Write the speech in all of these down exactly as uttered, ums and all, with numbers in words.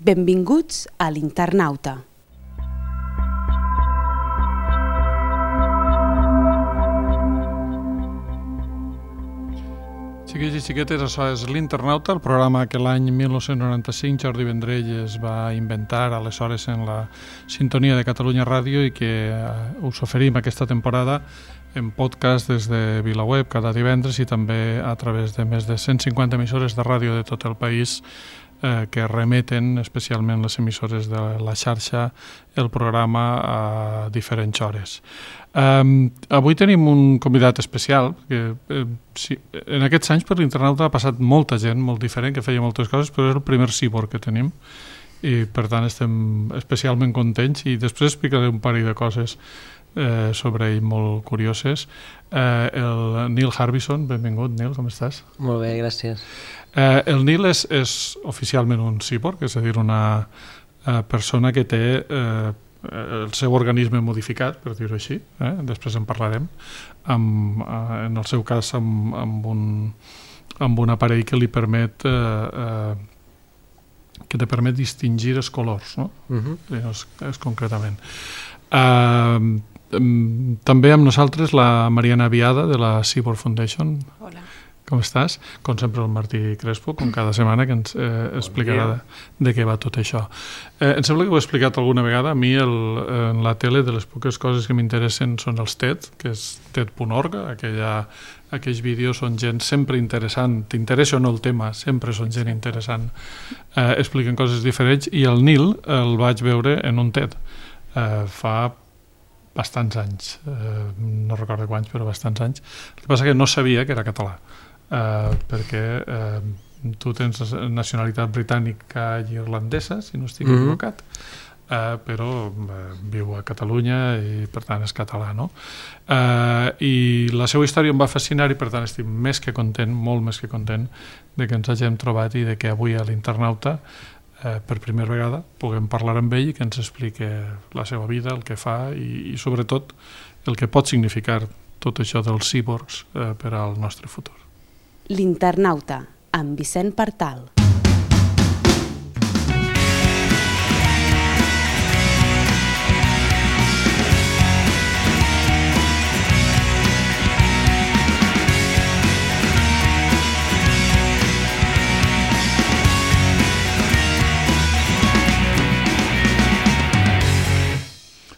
Benvinguts a l'Internauta. Xiquets i xiquetes, això és l'Internauta, el programa que l'any mil nou-cents noranta-cinc Jordi Vendrell es va inventar aleshores en la sintonia de Catalunya Ràdio i que us oferim aquesta temporada en podcast des de VilaWeb cada divendres i també a través de més de cent cinquanta emissores de ràdio de tot el país eh, que remeten, especialment les emissores de la xarxa, el programa a diferents hores. Um, avui tenim un convidat especial que, eh, sí, en aquests anys per l'Internauta ha passat molta gent molt diferent que feia moltes coses, però és el primer cíborg que tenim i per tant estem especialment contents i després explicaré un parell de coses eh, sobre ell molt curioses. eh, el Neil Harbisson, benvingut Neil, com estàs? Molt bé, gràcies. eh, el Neil és, és oficialment un cíborg, és a dir, una eh, persona que té eh, el seu organisme modificat, per dir-ho així, eh? Després en parlarem, amb, eh, en el seu cas amb, amb, un, amb un aparell que li permet eh, eh, que te permet distingir els colors, no? Uh-huh. és, és concretament. Eh, també amb nosaltres la Mariana Viada de la Cyborg Foundation. Hola. Com estàs? Com sempre el Martí Crespo, com cada setmana, que ens eh, explicarà de, de què va tot això. Eh, em sembla que ho he explicat alguna vegada. A mi el, en la tele de les poques coses que m'interessen són els TED, que és ted punt org, aquella, aquells vídeos són gent sempre interessant, t'interessa o no el tema, sempre són gent interessant, eh, expliquen coses diferents, i el Neil el vaig veure en un TED eh, fa bastants anys, eh, no recordo quants, però bastants anys. El que passa que no sabia que era català. Uh, perquè uh, tu tens nacionalitat britànica i irlandesa, si no estic mm-hmm. equivocat, uh, però uh, viu a Catalunya i per tant és català, no? Uh, I la seva història em va fascinar i per tant estic més que content, molt més que content de que ens hàgim trobat i de que avui a l'Internauta uh, per primera vegada puguem parlar amb ell i que ens expliqui la seva vida, el que fa i, i sobretot el que pot significar tot això dels cíborgs uh, per al nostre futur. L'Internauta, amb Vicent Partal.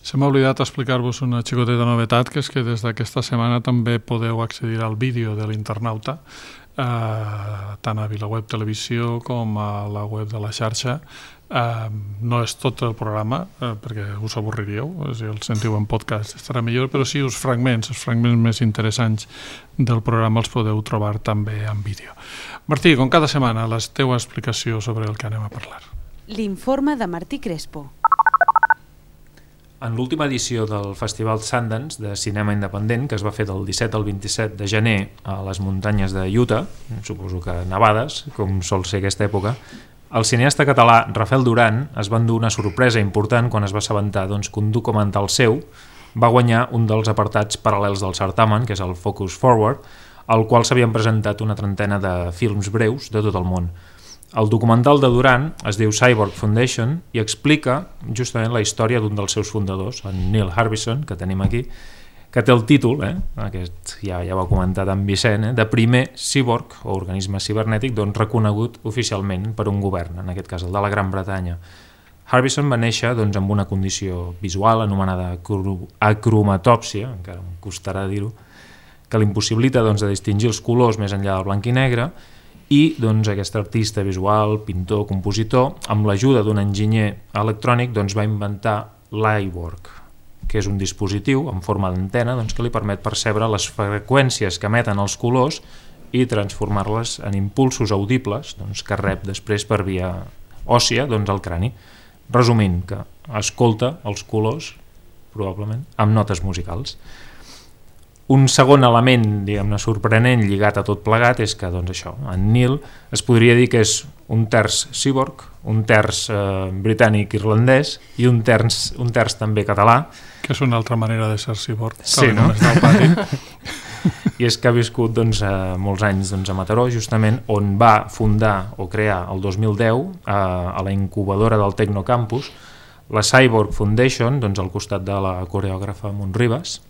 Se m'ha oblidat explicar-vos una xicoteta novetat, que és que des d'aquesta setmana també podeu accedir al vídeo de l'Internauta, eh, tant a VilaWeb Televisió com a la web de la xarxa. Eh, no és tot el programa, eh, perquè us avorriríeu, si el sentiu en podcast estarà millor, però sí els fragments, els fragments més interessants del programa els podeu trobar també en vídeo. Martí, com cada setmana, la teva explicació sobre el que anem a parlar. L'informe de Martí Crespo. En l'última edició del Festival Sundance de cinema independent, que es va fer del disset al vint-i-set de gener a les muntanyes de Utah, suposo que nevades, com sol ser aquesta època, el cineasta català Rafael Duran es va endur una sorpresa important quan es va assabentar doncs, que un documental seu va guanyar un dels apartats paral·lels del certamen, que és el Focus Forward, al qual s'havien presentat una trentena de films breus de tot el món. El documental de Duran es diu Cyborg Foundation i explica justament la història d'un dels seus fundadors, en Neil Harbisson, que tenim aquí, que té el títol, eh, aquest ja, ja ho ha comentat en Vicent, eh, de primer cíborg o organisme cibernètic doncs, reconegut oficialment per un govern, en aquest cas el de la Gran Bretanya. Harbisson va néixer doncs, amb una condició visual anomenada acromatòpsia, encara em costarà dir-ho, que l'impossibilita doncs, de distingir els colors més enllà del blanc i negre, i doncs, aquest artista visual, pintor, compositor, amb l'ajuda d'un enginyer electrònic doncs, va inventar l'iWork, que és un dispositiu en forma d'antena doncs, que li permet percebre les freqüències que emeten els colors i transformar-les en impulsos audibles doncs, que rep després per via òssia doncs, al crani. Resumint, que escolta els colors, probablement, amb notes musicals. Un segon element, diguem-ne, sorprenent lligat a tot plegat és que, doncs això, en Neil es podria dir que és un terç cíborg, un terç eh, britànic-irlandès i un terç, un terç també català. Que és una altra manera de ser cíborg. Sí, no? i és que ha viscut doncs, eh, molts anys doncs, a Mataró, justament on va fundar o crear el dos mil deu eh, a la incubadora del Tecnocampus la Cyborg Foundation, doncs, al costat de la coreògrafa Montribes.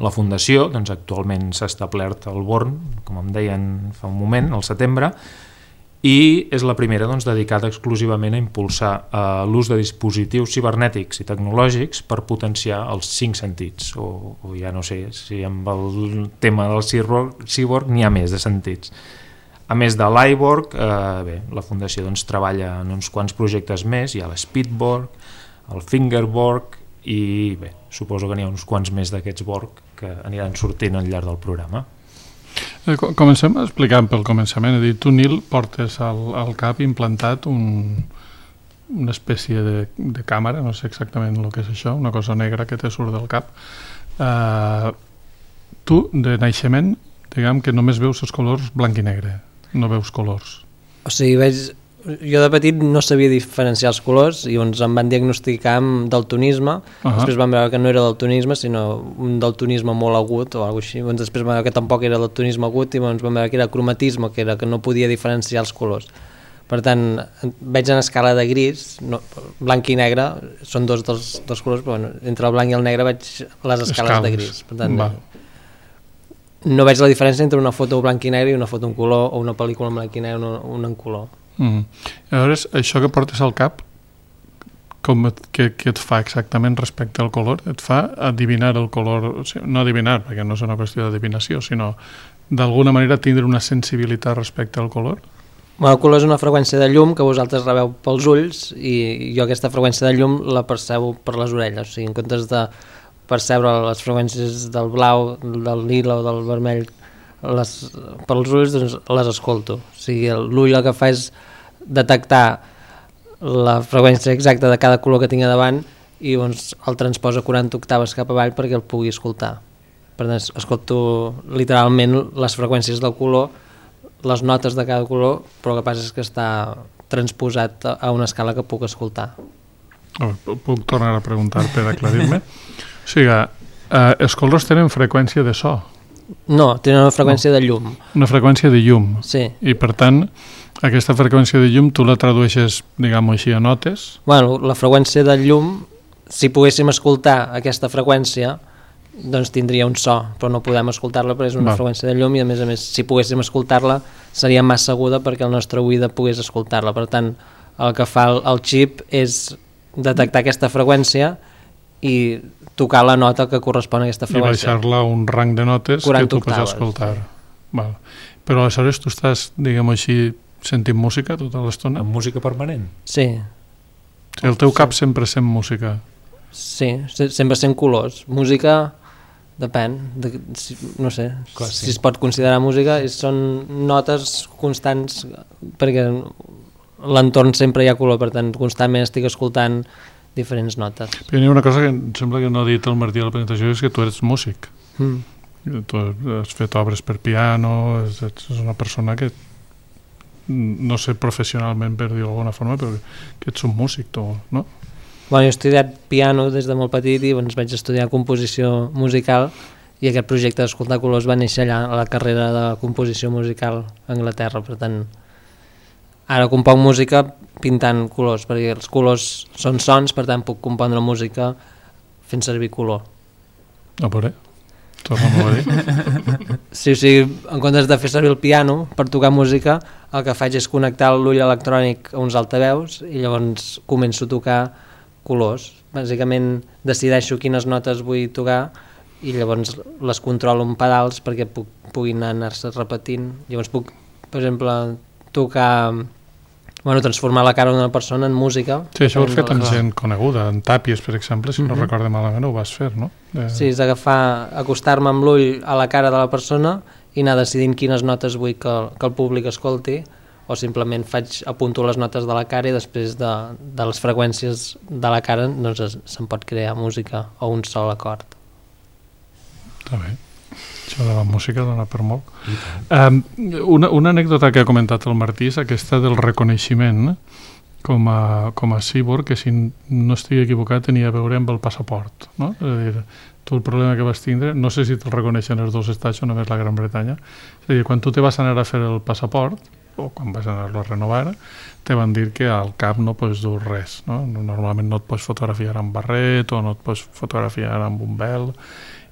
La fundació doncs, actualment s'ha establert al Born, com em deien fa un moment, al setembre, i és la primera doncs, dedicada exclusivament a impulsar eh, l'ús de dispositius cibernètics i tecnològics per potenciar els cinc sentits, o, o ja no sé si amb el tema del cyborg n'hi ha més de sentits. A més de l'iBorg, eh, bé, la Fundació doncs, treballa en uns quants projectes més, hi ha l'Speedborg, el Fingerborg, i bé, suposo que n'hi ha uns quants més d'aquests Borg que aniran sortint al llarg del programa. Comencem explicant pel començament. Dir, tu, Nil, portes al, al cap implantat un, una espècie de, de càmera, no sé exactament el que és això, una cosa negra que te surt del cap. Uh, tu, de naixement, diguem que només veus els colors blanc i negre, no veus colors. O sigui, veig... Jo de petit no sabia diferenciar els colors i llavors em van diagnosticar amb daltonisme. Uh-huh. Després vam veure que no era daltonisme, sinó un daltonisme molt agut o alguna cosa així. Llavors després vam veure que tampoc era daltonisme agut i llavors vam veure que era cromatisme, que era que no podia diferenciar els colors. Per tant, veig en escala de gris, no, blanc i negre són dos dels, dels colors, però bueno, entre el blanc i el negre veig les escales, escales. de gris. Per tant, Va. no veig la diferència entre una foto blanc i negre i una foto en color o una pel·lícula en blanc i negre o una en color. Mm. Llavors, això que portes al cap, com et, què, què et fa exactament respecte al color? Et fa adivinar el color, o sigui, no adivinar, perquè no és una qüestió d'adivinació, sinó d'alguna manera tindre una sensibilitat respecte al color? Bueno, el color és una freqüència de llum que vosaltres rebeu pels ulls i jo aquesta freqüència de llum la percebo per les orelles, o sigui, en comptes de percebre les freqüències del blau, del lila o del vermell les, pels ulls, doncs les escolto. O sigui, l'ull el que fa és detectar la freqüència exacta de cada color que tinc a davant i doncs el transposa quaranta octaves cap avall perquè el pugui escoltar. Per tant, escolto literalment les freqüències del color, les notes de cada color, però el que passa és que està transposat a una escala que puc escoltar. Oh, puc tornar a preguntar per aclarir-me? O sigui, eh, els colors tenen freqüència de so? No, tenen una freqüència no. de llum. Una freqüència de llum. Sí. I per tant, aquesta freqüència de llum tu la tradueixes, diguem-ho així, a notes? Bueno, la freqüència de llum, si poguéssim escoltar aquesta freqüència, doncs tindria un so, però no podem escoltar-la perquè és una Va. freqüència de llum i a més a més, si poguéssim escoltar-la, seria massa aguda perquè el nostre oïda pogués escoltar-la. Per tant, el que fa el, el xip és detectar aquesta freqüència i tocar la nota que correspon a aquesta freqüència. I baixar-la a un rang de notes que tu pots escoltar. Val. Però aleshores tu estàs, diguem-ho així, sentint música tota l'estona? Amb música permanent? Sí. sí el teu cap sí. sempre sent música? Sí, sempre sent colors. Música, depèn, de, si, no sé, Clar, sí. si es pot considerar música, són notes constants perquè l'entorn sempre hi ha color, per tant, constantment estic escoltant diferents notes. Però hi ha una cosa que em sembla que no ha dit el Martí a la presentació, és que tu eres músic. Mm. Tu has fet obres per piano, ets una persona que no sé professionalment per dir-ho d'alguna forma, però que ets un músic, tu, no? Bueno, jo he estudiat piano des de molt petit i doncs vaig estudiar composició musical i aquest projecte d'Escoltar Colors va néixer allà a la carrera de composició musical a Anglaterra, per tant ara componc música pintant colors, perquè els colors són sons, per tant puc compondre música fent servir color. A veure, torna-m'ho a dir. Sí, o sigui, en comptes de fer servir el piano per tocar música, el que faig és connectar l'ull electrònic a uns altaveus i llavors començo a tocar colors. Bàsicament decideixo quines notes vull tocar i llavors les controlo amb pedals perquè puc, puguin anar-se repetint. Llavors puc, per exemple, tocar... Bueno, transformar la cara d'una persona en música. Sí, això ho has fet amb gent coneguda, en Tàpies, per exemple, si mm-hmm. no recordo malament, ho vas fer, no? De... Sí, és agafar, acostar-me amb l'ull a la cara de la persona i anar decidint quines notes vull que, que el públic escolti, o simplement faig, apunto les notes de la cara i després de, de les freqüències de la cara doncs se'n pot crear música o un sol acord. Està bé. Això de la música dona per molt. Um, una, una anècdota que ha comentat el Martí és aquesta del reconeixement com a, com a cyborg, que si no estic equivocat tenia a veure amb el passaport, no? És a dir, tu el problema que vas tindre, no sé si te'l reconeixen els dos estats o només la Gran Bretanya, és a dir, quan tu te vas anar a fer el passaport, o quan vas anar-lo a renovar, te van dir que al cap no pots dur res, no? Normalment no et pots fotografiar amb barret o no et pots fotografiar amb un vel,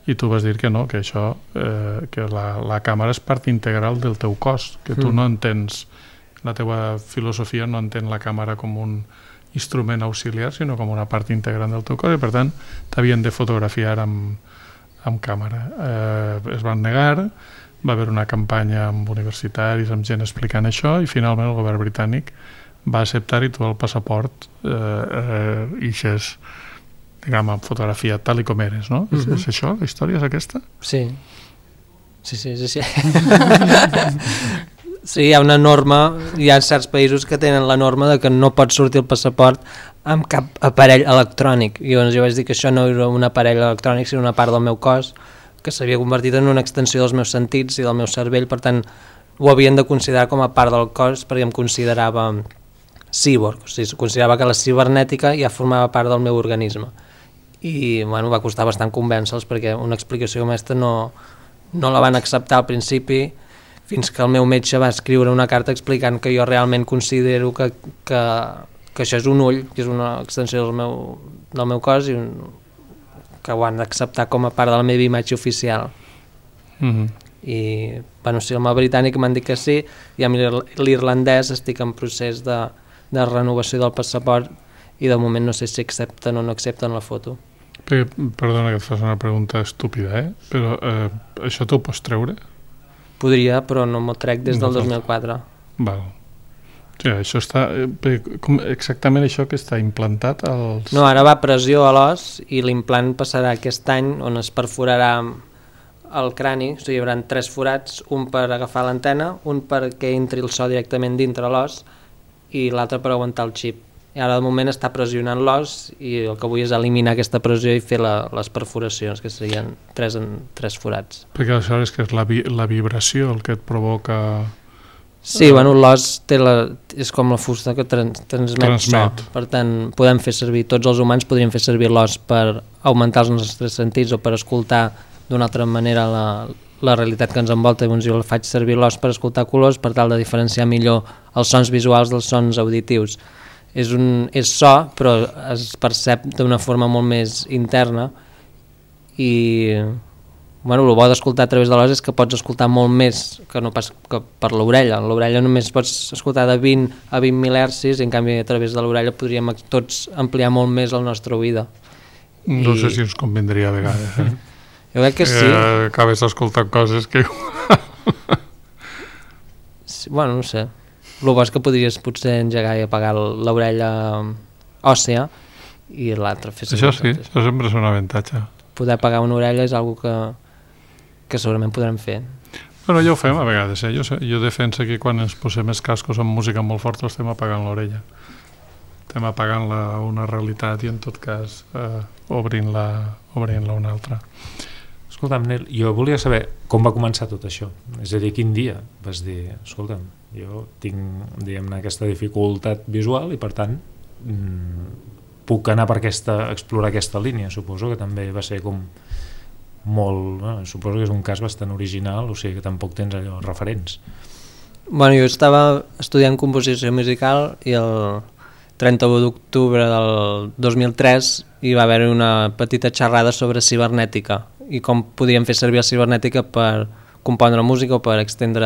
i tu vas dir que no, que això, eh, que la, la càmera és part integral del teu cos, que tu mm. no entens, la teva filosofia no entén la càmera com un instrument auxiliar, sinó com una part integrant del teu cos, i per tant t'havien de fotografiar amb, amb càmera. Eh, es van negar, va haver una campanya amb universitaris, amb gent explicant això, i finalment el govern britànic va acceptar i tu el passaport eh, eh, ixes, diguem, fotografiat tal i com eres, no? Mm -hmm. és, és això? La història és aquesta? Sí. Sí, sí, sí. sí. Sí, hi ha una norma, hi ha certs països que tenen la norma de que no pot sortir el passaport amb cap aparell electrònic. I llavors jo vaig dir que això no era un aparell electrònic, sinó una part del meu cos que s'havia convertit en una extensió dels meus sentits i del meu cervell, per tant ho havien de considerar com a part del cos perquè em considerava cyborg, o sigui, considerava que la cibernètica ja formava part del meu organisme. I bueno, va costar bastant convèncer-los perquè una explicació com aquesta no, no la van acceptar al principi, fins que el meu metge va escriure una carta explicant que jo realment considero que, que, que això és un ull, que és una extensió del meu, del meu cos i un, que ho han d'acceptar com a part de la meva imatge oficial. Mm-hmm. I bueno, sí, amb el britànic m'han dit que sí, i amb l'irlandès estic en procés de, de renovació del passaport i de moment no sé si accepten o no accepten la foto. Perquè, perdona que et fas una pregunta estúpida, eh? Però eh, això t'ho pots treure? Podria, però no m'ho trec des del dos mil quatre. Val. Sí, això està... Eh, com exactament això que està implantat als... No, ara va pressió a l'os i l'implant passarà aquest any on es perforarà el crani, o sigui, hi haurà tres forats, un per agafar l'antena, un perquè entri el so directament dintre l'os i l'altre per aguantar el xip. I ara de moment està pressionant l'os i el que vull és eliminar aquesta pressió i fer la, les perforacions, que serien tres, en, tres forats. Perquè aleshores que és la, vi, la vibració el que et provoca... Sí, uh, bueno, l'os té la, és com la fusta que trans, transmet, transmet so. Per tant, podem fer servir, tots els humans podríem fer servir l'os per augmentar els nostres sentits o per escoltar d'una altra manera la, la realitat que ens envolta. Llavors jo faig servir l'os per escoltar colors per tal de diferenciar millor els sons visuals dels sons auditius. És, un, és so, però es percep d'una forma molt més interna i bueno, el bo d'escoltar a través de l'os és que pots escoltar molt més que no pas que per l'orella. L'orella només pots escoltar de vint a vint mil hertzis i en canvi a través de l'orella podríem tots ampliar molt més el nostre oïda. No I... sé si ens convindria a vegades, eh? Jo crec que sí. Eh, acabes escoltant coses que... sí, bueno, no sé. El bo és que podries potser engegar i apagar l'orella òssea i l'altre fer això sí, això sempre és un avantatge. Poder apagar una orella és una que, que segurament podrem fer. Però ja ho fem a vegades, eh? jo, jo defenso que quan ens posem els cascos amb música molt forta estem apagant l'orella. Estem apagant la, una realitat i en tot cas eh, obrint-la obrint-la una altra. Escolta'm, Nel, jo volia saber com va començar tot això. És a dir, quin dia vas dir, escolta'm, jo tinc, diguem-ne, aquesta dificultat visual i per tant mmm, puc anar per aquesta, explorar aquesta línia. Suposo que també va ser com molt, bueno, suposo que és un cas bastant original, o sigui que tampoc tens allò referents. Bueno, jo estava estudiant composició musical i el trenta-u d'octubre del dos mil tres hi va haver una petita xerrada sobre cibernètica i com podíem fer servir la cibernètica per compondre música o per extendre,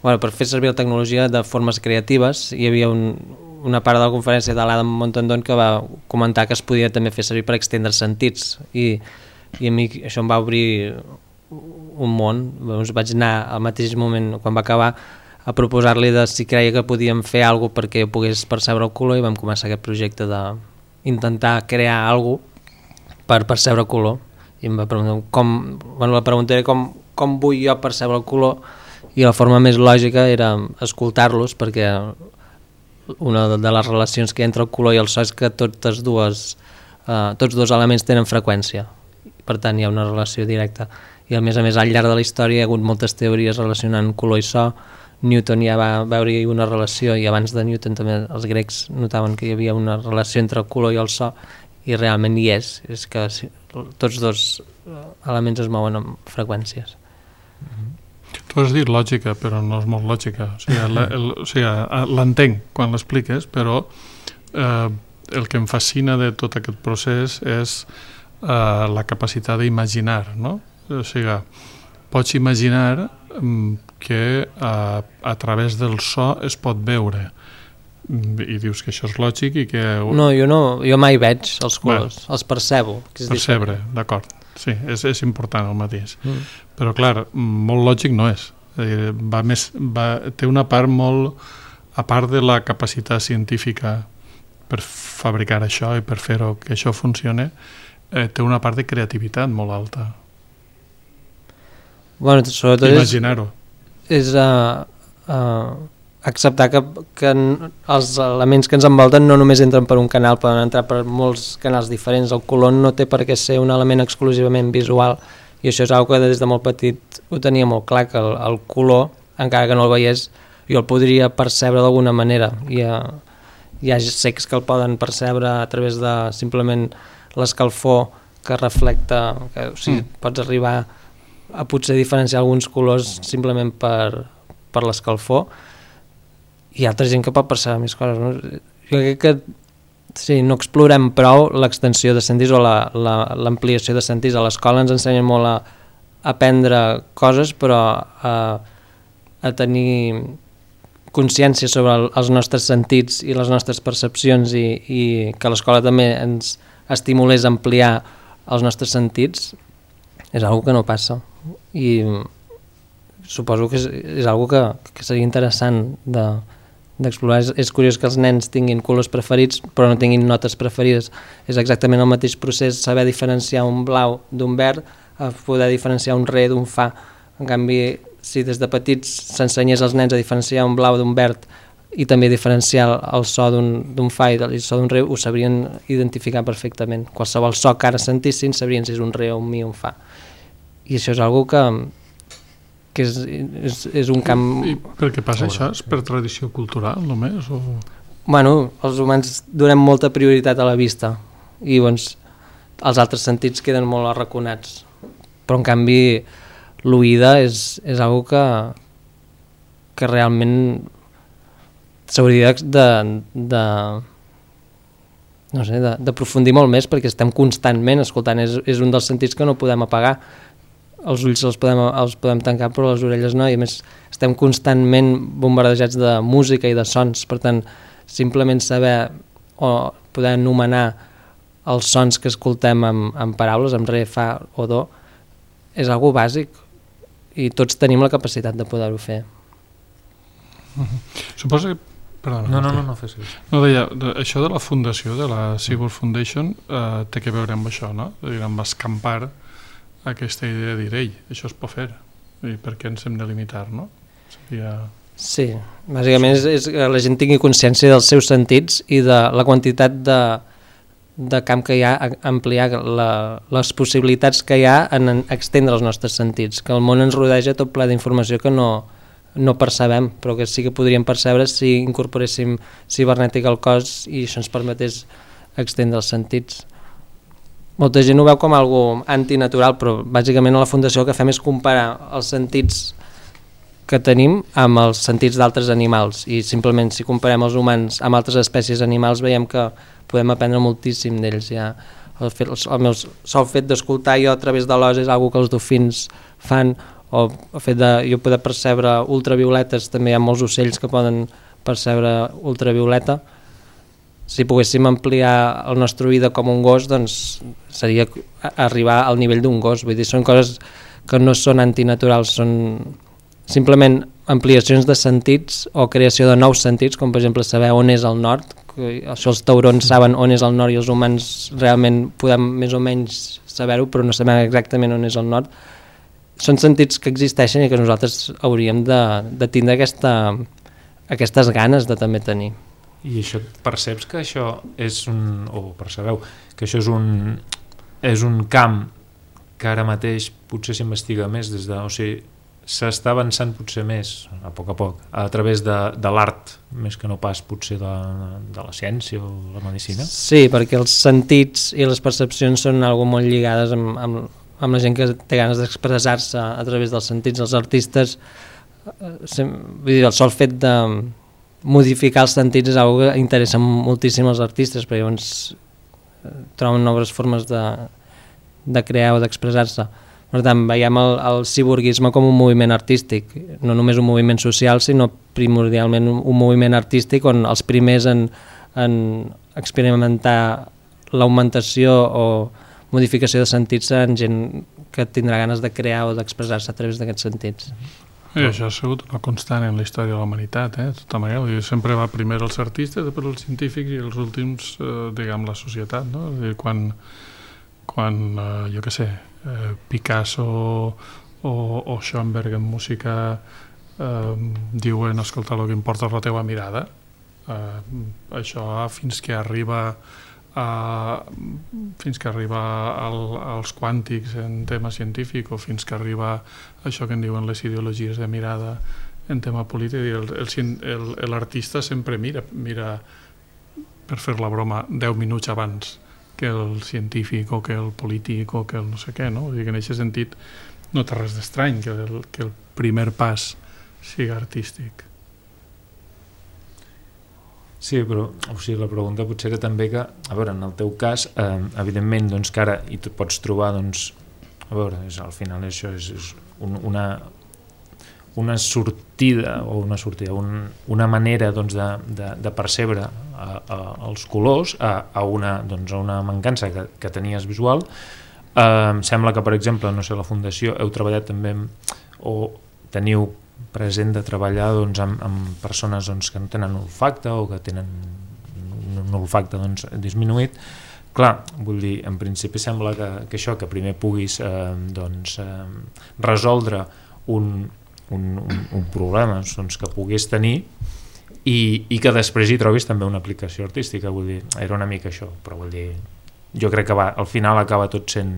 bueno, per fer servir la tecnologia de formes creatives. Hi havia un, una part de la conferència de l'Adam Montandon que va comentar que es podia també fer servir per extendre sentits i, i a mi això em va obrir un món. Doncs vaig anar al mateix moment, quan va acabar, a proposar-li de si creia que podíem fer alguna cosa perquè pogués percebre el color i vam començar aquest projecte d'intentar crear alguna cosa per percebre color. I em va preguntar com, bueno, la pregunta era com, com vull jo percebre el color i la forma més lògica era escoltar-los, perquè una de les relacions que hi ha entre el color i el so és que totes dues, eh, tots dos elements tenen freqüència, per tant hi ha una relació directa i a més a més al llarg de la història hi ha hagut moltes teories relacionant color i so, Newton ja va veure-hi una relació, i abans de Newton també els grecs notaven que hi havia una relació entre el color i el so, i realment hi és, és que tots dos elements es mouen amb freqüències. Tu has dit lògica, però no és molt lògica. O sigui, la, el, o sigui, l'entenc quan l'expliques, però eh, el que em fascina de tot aquest procés és eh, la capacitat d'imaginar, no? O sigui, pots imaginar que a, a través del so es pot veure, i dius que això és lògic i que... No, jo no, jo mai veig els colors, Bé, els percebo. Que és percebre, d'acord, sí, és, és important el mateix. Mm. Però clar, molt lògic no és. Va més, va, té una part molt, a part de la capacitat científica per fabricar això i per fer-ho que això funcione, eh, té una part de creativitat molt alta. Bueno, sobretot imaginar-ho. És, és uh, uh, acceptar que, que els elements que ens envolten no només entren per un canal, poden entrar per molts canals diferents. El color no té per què ser un element exclusivament visual, i això és una cosa que des de molt petit ho tenia molt clar, que el, el color, encara que no el veiés, jo el podria percebre d'alguna manera. Hi ha, hi ha cecs que el poden percebre a través de simplement l'escalfor que reflecta, que, o sigui, mm. pots arribar a potser diferenciar alguns colors simplement per, per l'escalfor, i hi ha altra gent que pot percebre més coses, no? Jo crec que sí, no explorem prou l'extensió de sentits o l'ampliació la, la, de sentits. A l'escola ens ensenyen molt a, a aprendre coses, però a, a tenir consciència sobre el, els nostres sentits i les nostres percepcions, i, i que l'escola també ens estimulés a ampliar els nostres sentits, és una cosa que no passa. I suposo que és, és una cosa que, que seria interessant de d'explorar. És, és curiós que els nens tinguin colors preferits però no tinguin notes preferides. És exactament el mateix procés saber diferenciar un blau d'un verd, a poder diferenciar un re d'un fa. En canvi, si des de petits s'ensenyés als nens a diferenciar un blau d'un verd i també diferenciar el so d'un fa i el so d'un re, ho sabrien identificar perfectament. Qualsevol so que ara sentissin sabrien si és un re o un mi o un fa. I això és una cosa que que és, és, és un camp... I per què passa això? És per tradició cultural només? O... Bueno, els humans donem molta prioritat a la vista i doncs els altres sentits queden molt arraconats, però en canvi l'oïda és, és una cosa que, que realment s'hauria de, de, no sé, de, d'aprofundir molt més, perquè estem constantment escoltant, és, és un dels sentits que no podem apagar. Els ulls els podem, els podem tancar, però les orelles no, i a més estem constantment bombardejats de música i de sons. Per tant, simplement saber o poder anomenar els sons que escoltem amb, amb paraules, amb re, fa o do, és algo bàsic, i tots tenim la capacitat de poder-ho fer. Uh-huh. Suposo que... Perdona, no, no, no, no fes això. No, deia, de, això de la fundació, de la Seaboard Foundation, eh, té que veure amb això, no? Dir, amb escampar aquesta idea de dir, ei, això es pot fer, i per què ens hem de limitar, no? Seria... Sí, bàsicament és, és que la gent tingui consciència dels seus sentits i de la quantitat de, de camp que hi ha, a ampliar la, les possibilitats que hi ha en, en extendre els nostres sentits, que el món ens rodeja tot ple d'informació que no, no percebem, però que sí que podríem percebre si incorporéssim cibernètica al cos i això ens permetés extendre els sentits. Molta gent ho veu com algo antinatural, però bàsicament a la Fundació el que fem és comparar els sentits que tenim amb els sentits d'altres animals, i simplement si comparem els humans amb altres espècies animals veiem que podem aprendre moltíssim d'ells. Ja el, fet, el meu sol fet d'escoltar jo a través de l'os és algo que els dofins fan, o el fet de jo poder percebre ultravioletes, també hi ha molts ocells que poden percebre ultravioleta. Si poguéssim ampliar el nostre oïda com un gos, doncs seria arribar al nivell d'un gos. Vull dir, són coses que no són antinaturals, són simplement ampliacions de sentits o creació de nous sentits, com per exemple saber on és el nord. Això els taurons saben on és el nord i els humans realment podem més o menys saber-ho, però no sabem exactament on és el nord. Són sentits que existeixen i que nosaltres hauríem de, de tindre aquesta, aquestes ganes de també tenir. I això, perceps que això és un, o percebeu, que això és un, és un camp que ara mateix potser s'investiga més des de, o sigui, s'està avançant potser més, a poc a poc, a través de, de l'art, més que no pas potser de, de la ciència o la medicina? Sí, perquè els sentits i les percepcions són algo molt lligades amb, amb, amb la gent que té ganes d'expressar-se a través dels sentits. Els artistes, vull dir, el sol fet de modificar els sentits és algo que interessa moltíssim als artistes, perquè llavors troben noves formes de, de crear o d'expressar-se. Per tant, veiem el, el ciborguisme com un moviment artístic, no només un moviment social, sinó primordialment un, un moviment artístic on els primers en, en experimentar l'augmentació o modificació de sentits seran gent que tindrà ganes de crear o d'expressar-se a través d'aquests sentits. I això ha sigut una constant en la història de la humanitat, eh? Tota manera, sempre va primer els artistes, després els científics i els últims, eh, diguem, la societat, no? Dir, quan, quan eh, jo què sé, eh, Picasso o, o Schoenberg en música eh, diuen, escolta, el que importa és la teva mirada, eh, això fins que arriba Uh, fins que arriba al, als quàntics en tema científic o fins que arriba això que en diuen les ideologies de mirada en tema polític, l'artista sempre mira, mira per fer la broma deu minuts abans que el científic o que el polític o que el no sé què, no? Vull dir que en aquest sentit no té res d'estrany que el, que el primer pas sigui artístic. Sí, però o sigui, la pregunta potser era també que, a veure, en el teu cas, eh, evidentment, doncs, que ara hi pots trobar, doncs, a veure, és, al final això és, és un, una, una sortida, o una sortida, un, una manera doncs, de, de, de percebre a, a, els colors a, a, una, doncs, a una mancança que, que tenies visual. Eh, em sembla que, per exemple, no sé, la Fundació, heu treballat també amb, o teniu present de treballar doncs, amb, amb persones doncs, que no tenen olfacte o que tenen un olfacte doncs, disminuït. Clar, vull dir, en principi sembla que, que això, que primer puguis eh, doncs, eh, resoldre un, un, un, un problema doncs, que puguis tenir i, i que després hi trobis també una aplicació artística, vull dir, era una mica això, però vull dir, jo crec que va, al final acaba tot sent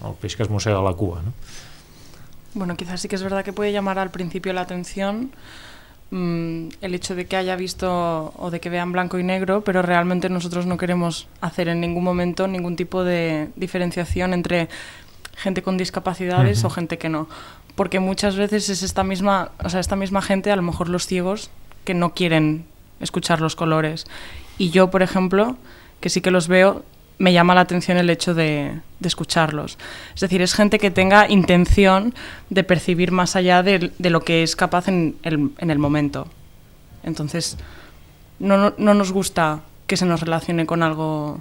el peix que es mossega la cua, no? Bueno, quizás sí que es verdad que puede llamar al principio la atención mmm, el hecho de que haya visto o de que vean blanco y negro, pero realmente nosotros no queremos hacer en ningún momento ningún tipo de diferenciación entre gente con discapacidades uh-huh. o gente que no, porque muchas veces es esta misma, o sea, esta misma gente, a lo mejor los ciegos, que no quieren escuchar los colores. Y yo, por ejemplo, que sí que los veo, me llama la atención el hecho de, de escucharlos. Es decir, es gente que tenga intención de percibir más allá de, de lo que es capaz en el, en el momento. Entonces, no, no, no nos gusta que se nos relacione con algo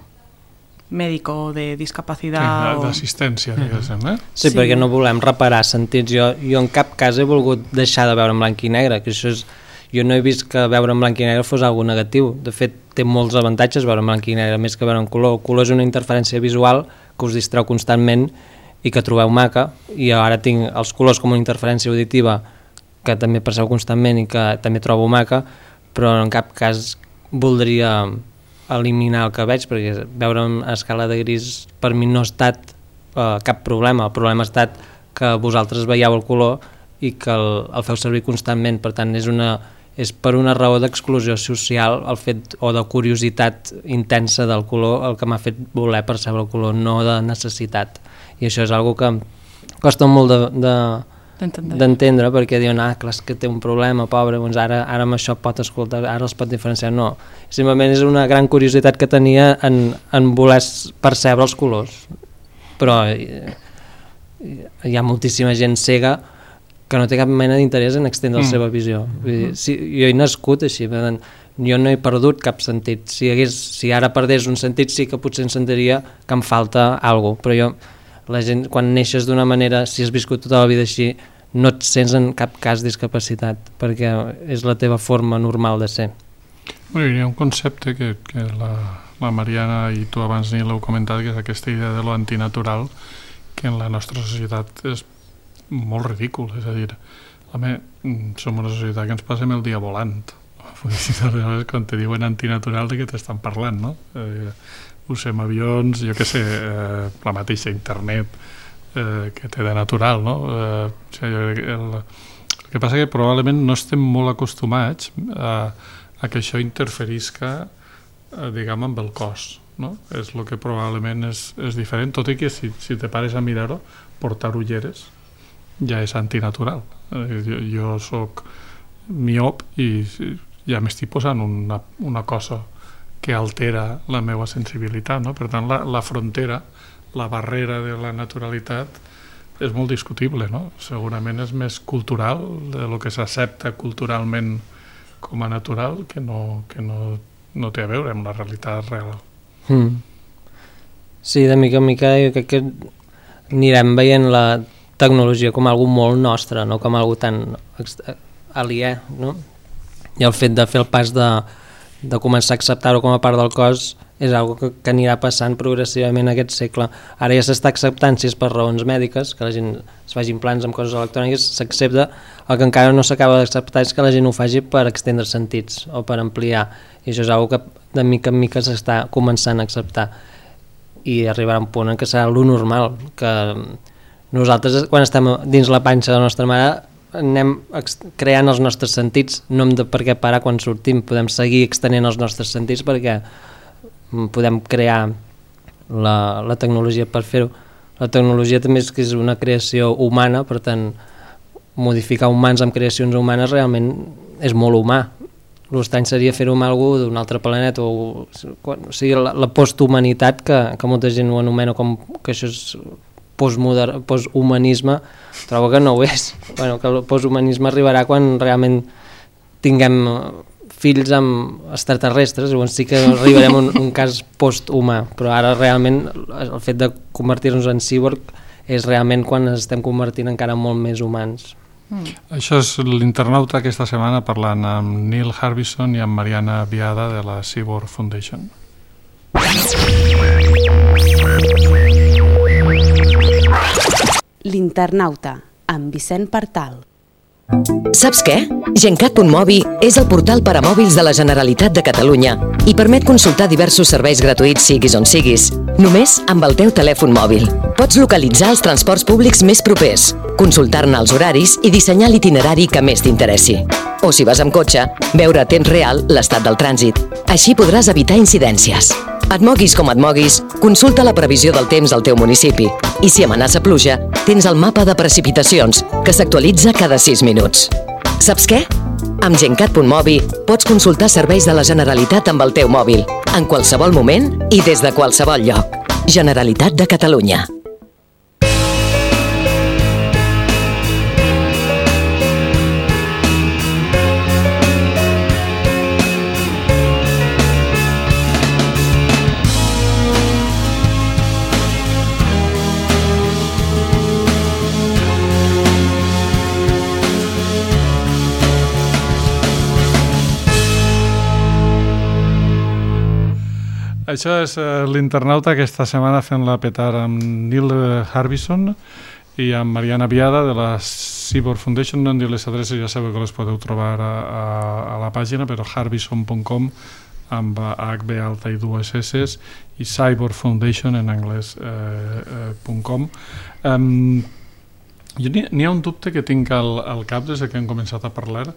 mèdico o de discapacitat. Sí, d'assistència, diguéssim, eh? Sí, sí, perquè no volem reparar sentits. Jo, jo en cap cas he volgut deixar de veure en blanc i negre, que això és... Jo no he vist que veure en blanc i negre fos algo negatiu. De fet, té molts avantatges veure en blanc i negre, més que veure en color. El color és una interferència visual que us distreu constantment i que trobeu maca, i ara tinc els colors com una interferència auditiva que també perceu constantment i que també trobo maca, però en cap cas voldria eliminar el que veig, perquè veure a escala de gris per mi no ha estat eh, cap problema. El problema ha estat que vosaltres veieu el color i que el, el feu servir constantment. Per tant, és una... és per una raó d'exclusió social el fet, o de curiositat intensa del color, el que m'ha fet voler percebre el color, no de necessitat. I això és una cosa que costa molt de, de, d'entendre, perquè diuen, ah, clar, que té un problema, pobre, doncs ara, ara amb això pot escoltar, ara els pot diferenciar. No, simplement és una gran curiositat que tenia en, en voler percebre els colors. Però hi ha moltíssima gent cega que no té cap mena d'interès en extendre mm. la seva visió. Vull dir, si, jo he nascut així, tant, jo no he perdut cap sentit. Si, hagués, si ara perdés un sentit sí que potser em sentiria que em falta alguna cosa, però jo, la gent, quan neixes d'una manera, si has viscut tota la vida així, no et sents en cap cas discapacitat, perquè és la teva forma normal de ser. Bueno, hi ha un concepte que, que la, la Mariana i tu abans ni l'heu comentat, que és aquesta idea de lo antinatural, que en la nostra societat és molt ridícul, és a dir, home, som una societat que ens passem el dia volant. Quan te diuen antinatural, de què t'estan parlant, no? Eh, usem avions, jo què sé, eh, la mateixa internet, eh, que té de natural, no? Eh, o sigui, el, el que passa que probablement no estem molt acostumats a, a que això interferisca, eh, diguem, amb el cos, no? És el que probablement és, és diferent, tot i que si, si te pares a mirar-ho, portar ulleres ja és antinatural. Eh, jo, jo soc miop i ja m'estic posant una, una cosa que altera la meva sensibilitat, no? Per tant, la, la frontera, la barrera de la naturalitat és molt discutible, no? Segurament és més cultural, de lo que s'accepta culturalment com a natural, que no, que no, no té a veure amb la realitat real. Mm. Sí, de mica en mica jo crec que anirem veient la tecnologia com algo molt nostre, no com algo tan aliè, no? I el fet de fer el pas de, de començar a acceptar-ho com a part del cos és algo que, que anirà passant progressivament aquest segle. Ara ja s'està acceptant, si és per raons mèdiques, que la gent es faci implants amb coses electròniques, s'accepta. El que encara no s'acaba d'acceptar és que la gent ho faci per extendre sentits o per ampliar, i això és algo que de mica en mica s'està començant a acceptar i arribarà a un punt en què serà lo normal, que nosaltres quan estem dins la panxa de la nostra mare anem creant els nostres sentits, no hem de per què parar quan sortim, podem seguir extenent els nostres sentits perquè podem crear la, la tecnologia per fer-ho. La tecnologia també és que és una creació humana, per tant modificar humans amb creacions humanes realment és molt humà. L'estrany seria fer-ho amb algú d'un altre planeta, o, o sigui, la, la posthumanitat, que, que molta gent ho anomena com que això és postmodern, posthumanisme, trobo que no ho és. Bueno, que el posthumanisme arribarà quan realment tinguem fills amb extraterrestres, llavors sí que arribarem a un, un cas posthumà, però ara realment el fet de convertir-nos en cíborg és realment quan ens estem convertint encara molt més humans. Mm. Això és l'internauta aquesta setmana parlant amb Neil Harbisson i amb Mariana Biada de la Cyborg Foundation. L'internauta, amb Vicent Partal. Saps què? Gencat punt mobi és el portal per a mòbils de la Generalitat de Catalunya i permet consultar diversos serveis gratuïts siguis on siguis, només amb el teu telèfon mòbil. Pots localitzar els transports públics més propers, consultar-ne els horaris i dissenyar l'itinerari que més t'interessi. O si vas amb cotxe, veure a temps real l'estat del trànsit. Així podràs evitar incidències. Et moguis com et moguis, consulta la previsió del temps al teu municipi i si amenaça pluja, tens el mapa de precipitacions, que s'actualitza cada sis minuts. Saps què? Amb Gencat punt mobi pots consultar serveis de la Generalitat amb el teu mòbil, en qualsevol moment i des de qualsevol lloc. Generalitat de Catalunya. Això és uh, l'internauta aquesta setmana fent-la petar amb Neil Harbisson i amb Mariana Biada de la Cyborg Foundation. No em diu les adreces, ja sabeu que les podeu trobar a, a, a la pàgina, però harbisson punt com amb H B alta i dues S i Cyborg Foundation en anglès eh, eh, .com. Um, jo n'hi ha un dubte que tinc al, al cap des que hem començat a parlar.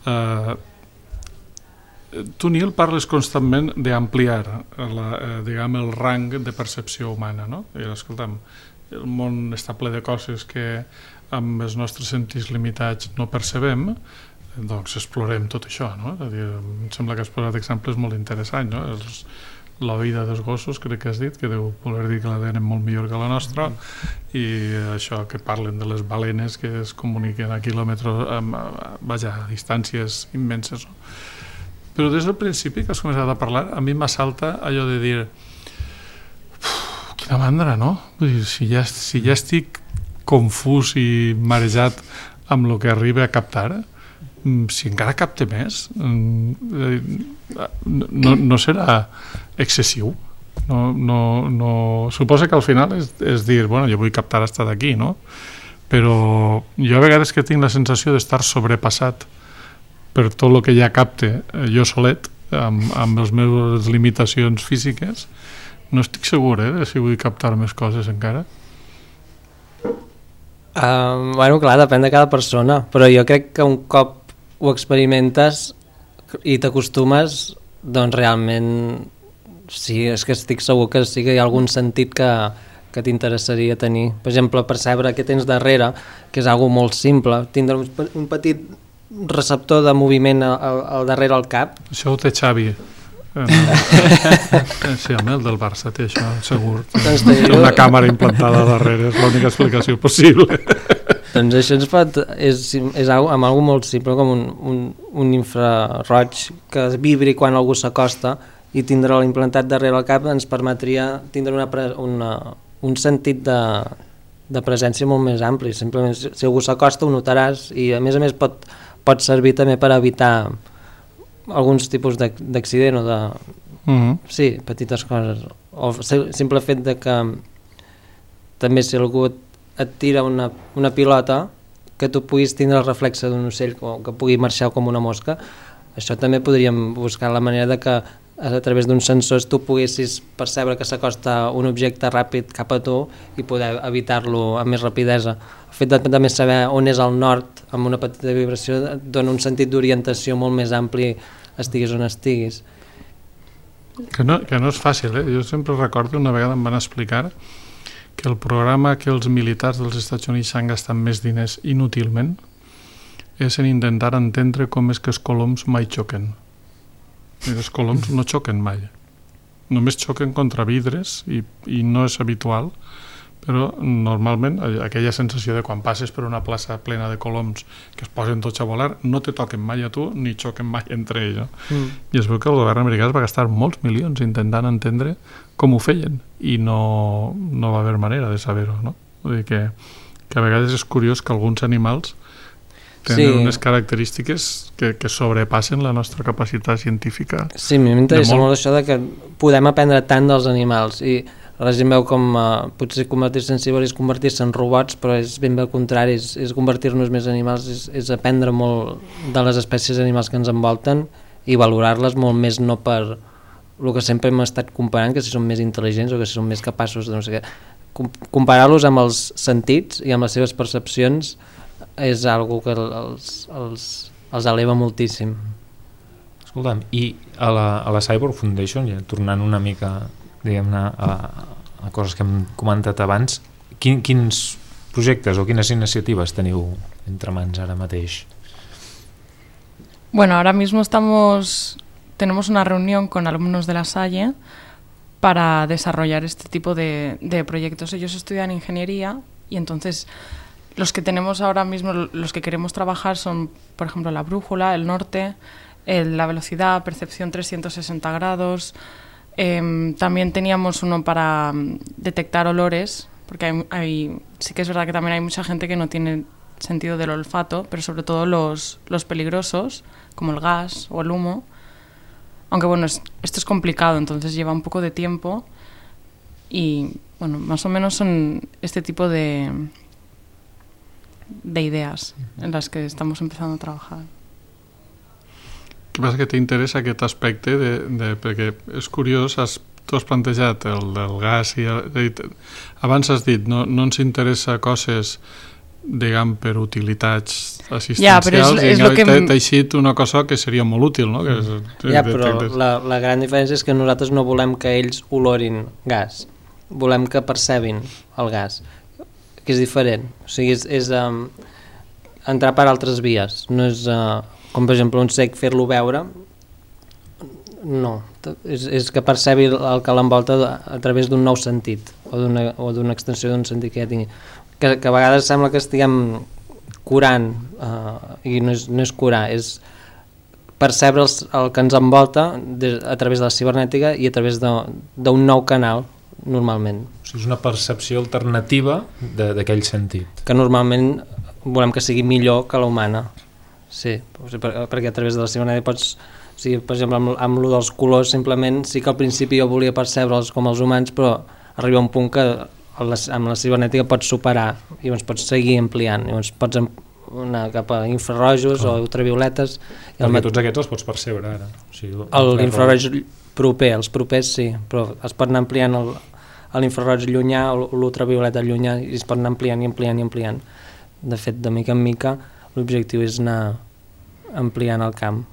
Uh, Tu, Neil, parles constantment d'ampliar la, eh, diguem, el rang de percepció humana, no? I, escolta'm, el món està ple de coses que amb els nostres sentits limitats no percebem, doncs explorem tot això, no? És a dir, em sembla que has posat exemples molt interessants, no? Els, la vida dels gossos, crec que has dit, que deu voler dir que la tenen molt millor que la nostra, i això que parlen de les balenes que es comuniquen a quilòmetres, a, vaja, a distàncies immenses, no? Però des del principi que has començat a parlar, a mi m'assalta allò de dir quina mandra, no? Vull dir, si ja, si ja estic confús i marejat amb el que arriba a captar, si encara capte més, no, no serà excessiu? No, no, no... Suposa que al final és, és dir, bueno, jo vull captar fins d'aquí, no? Però jo a vegades que tinc la sensació d'estar sobrepassat per tot el que ja capte jo solet, amb, amb les meves limitacions físiques, no estic segur eh, de si vull captar més coses encara. Uh, bueno, clar, depèn de cada persona, però jo crec que un cop ho experimentes i t'acostumes, doncs realment sí, és que estic segur que sí que hi ha algun sentit que, que t'interessaria tenir. Per exemple, percebre què tens darrere, que és algo molt simple, tindre un, un petit receptor de moviment al, al darrere al cap. Això ho té Xavi. Sí, home, el del Barça té això, segur. Té una càmera implantada darrere, és l'única explicació possible. Doncs això ens pot, és, és amb algo molt simple, com un, un, un infraroig que vibri quan algú s'acosta, i tindre-lo implantat darrere el cap ens permetria tindre una, una, un sentit de, de presència molt més ampli. Simplement, si algú s'acosta ho notaràs, i a més a més pot, pot servir també per evitar alguns tipus d'accident o de... Mm-hmm. Sí, petites coses. O el simple fet de que també si algú et tira una, una pilota, que tu puguis tindre el reflexe d'un ocell o que pugui marxar com una mosca, això també podríem buscar la manera de que a través d'uns sensors tu poguessis percebre que s'acosta un objecte ràpid cap a tu i poder evitar-lo amb més rapidesa. El fet de també saber on és el nord amb una petita vibració et dona un sentit d'orientació molt més ampli, estiguis on estiguis. Que no, que no és fàcil, eh? Jo sempre recordo, una vegada em van explicar que el programa que els militars dels Estats Units s'han gastat més diners inútilment és en intentar entendre com és que els coloms mai xoquen. I els coloms no xoquen mai. Només xoquen contra vidres i, i no és habitual, però normalment aquella sensació de quan passes per una plaça plena de coloms que es posen tots a volar, no te toquen mai a tu ni xoquen mai entre ells. Mm. I es veu que el govern americà es va gastar molts milions intentant entendre com ho feien i no, no va haver manera de saber-ho, no? Vull dir que, que a vegades és curiós que alguns animals tenen sí. unes característiques que, que sobrepassen la nostra capacitat científica. Sí, a mi m'interessa molt... molt això de que podem aprendre tant dels animals i la gent veu com uh, potser convertir-se en cibernis és convertir-se en robots, però és ben bé al contrari, és, és convertir-nos més animals, és, és aprendre molt de les espècies animals que ens envolten i valorar-les molt més, no per el que sempre hem estat comparant, que si són més intel·ligents o que si són més capaços de no sé què. Com, comparar-los amb els sentits i amb les seves percepcions és algo que els, els, els eleva moltíssim. Escolta'm, i a la, a la Cyborg Foundation, ja tornant una mica diguem-ne a, a coses que hem comentat abans, quin, quins projectes o quines iniciatives teniu entre mans ara mateix? Bueno, ahora mismo estamos tenemos una reunión con alumnos de la Salle para desarrollar este tipo de, de proyectos. Ellos estudian ingeniería y entonces los que tenemos ahora mismo, los que queremos trabajar son, por ejemplo, la brújula, el norte, el, la velocidad, percepción trescientos sesenta grados. Eh, también teníamos uno para um, detectar olores, porque hay, hay, sí que es verdad que también hay mucha gente que no tiene sentido del olfato, pero sobre todo los, los peligrosos, como el gas o el humo. Aunque bueno, es, esto es complicado, entonces lleva un poco de tiempo y bueno, más o menos son este tipo de, de ideas en las que estamos empezando a trabajar. El que passa que t'interessa aquest aspecte de, de, perquè és curiós, has, tu has plantejat el del gas i el, abans has dit no, no ens interessa coses diguem per utilitats assistencials, ja, és, és i que... t'ha eixit una cosa que seria molt útil, no? Que és, ja, però la, la gran diferència és que nosaltres no volem que ells olorin gas, volem que percebin el gas, que és diferent, o sigui, és, és um, entrar per altres vies, no és... Uh, com per exemple un cec fer-lo veure, no, és, és que percebi el que l'envolta a través d'un nou sentit o d'una o d'una extensió d'un sentit que ja tingui, que, que a vegades sembla que estiguem curant uh, i no és, no és curar, és percebre els, el que ens envolta de, a través de la cibernètica i a través d'un nou canal normalment. O sigui, és una percepció alternativa d'aquell sentit. Que normalment volem que sigui millor que la humana. Sí, perquè a través de la cibernètica pots, o sigui, per exemple, amb, amb lo dels colors simplement sí que al principi jo volia percebre'ls com els humans, però arriba un punt que amb la cibernètica pots superar i llavors pots seguir ampliant, llavors pots anar cap a infrarrojos oh. o ultravioletes. Perquè mat... tots aquests els pots percebre ara. O sigui, l'infraroig proper, els propers sí, però es pot anar ampliant el, a l'infraroig llunyà o l'ultravioleta llunyà i es pot anar ampliant i ampliant i ampliant. De fet, de mica en mica, l'objectiu és anar ampliant el camp.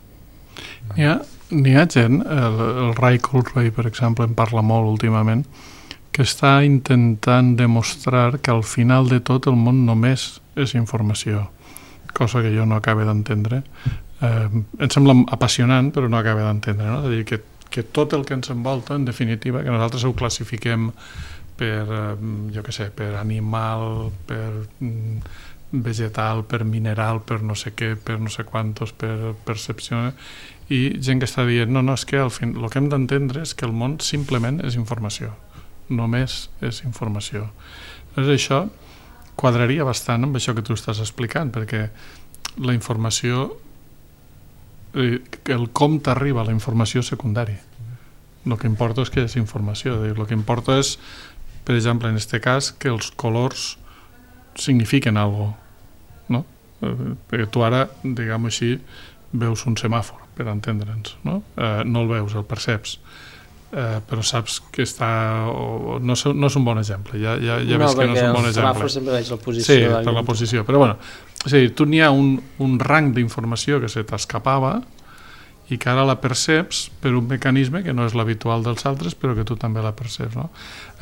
N'hi ha, n'hi ha gent, el, el Ray Kurzweil, per exemple, en parla molt últimament, que està intentant demostrar que al final de tot el món només és informació, cosa que jo no acabo d'entendre. Eh, em sembla apassionant, però no acabo d'entendre, no? És a dir, que, que tot el que ens envolta, en definitiva, que nosaltres ho classifiquem per, eh, jo què sé, per animal, per mm, vegetal, per mineral, per no sé què, per no sé quantos, per percepció, i gent que està dient, no, no, és que al fin, el que hem d'entendre és que el món simplement és informació, només és informació. Llavors això quadraria bastant amb això que tu estàs explicant, perquè la informació, eh, el com t'arriba la informació secundària. El que importa és que és informació, el que importa és, per exemple, en aquest cas, que els colors signifiquen alguna cosa, no? Eh, perquè tu ara, diguem-ho així, veus un semàfor, per entendre'ns, no? Eh, no el veus, el perceps, eh, però saps que està... O, no, és, no és un bon exemple, ja, ja, ja no, ves que no és un bon exemple. No, perquè el semàfor sempre veig la posició. Sí, per la posició, però bueno, és a dir, tu n'hi ha un, un rang d'informació que se t'escapava i que ara la perceps per un mecanisme que no és l'habitual dels altres, però que tu també la perceps, no?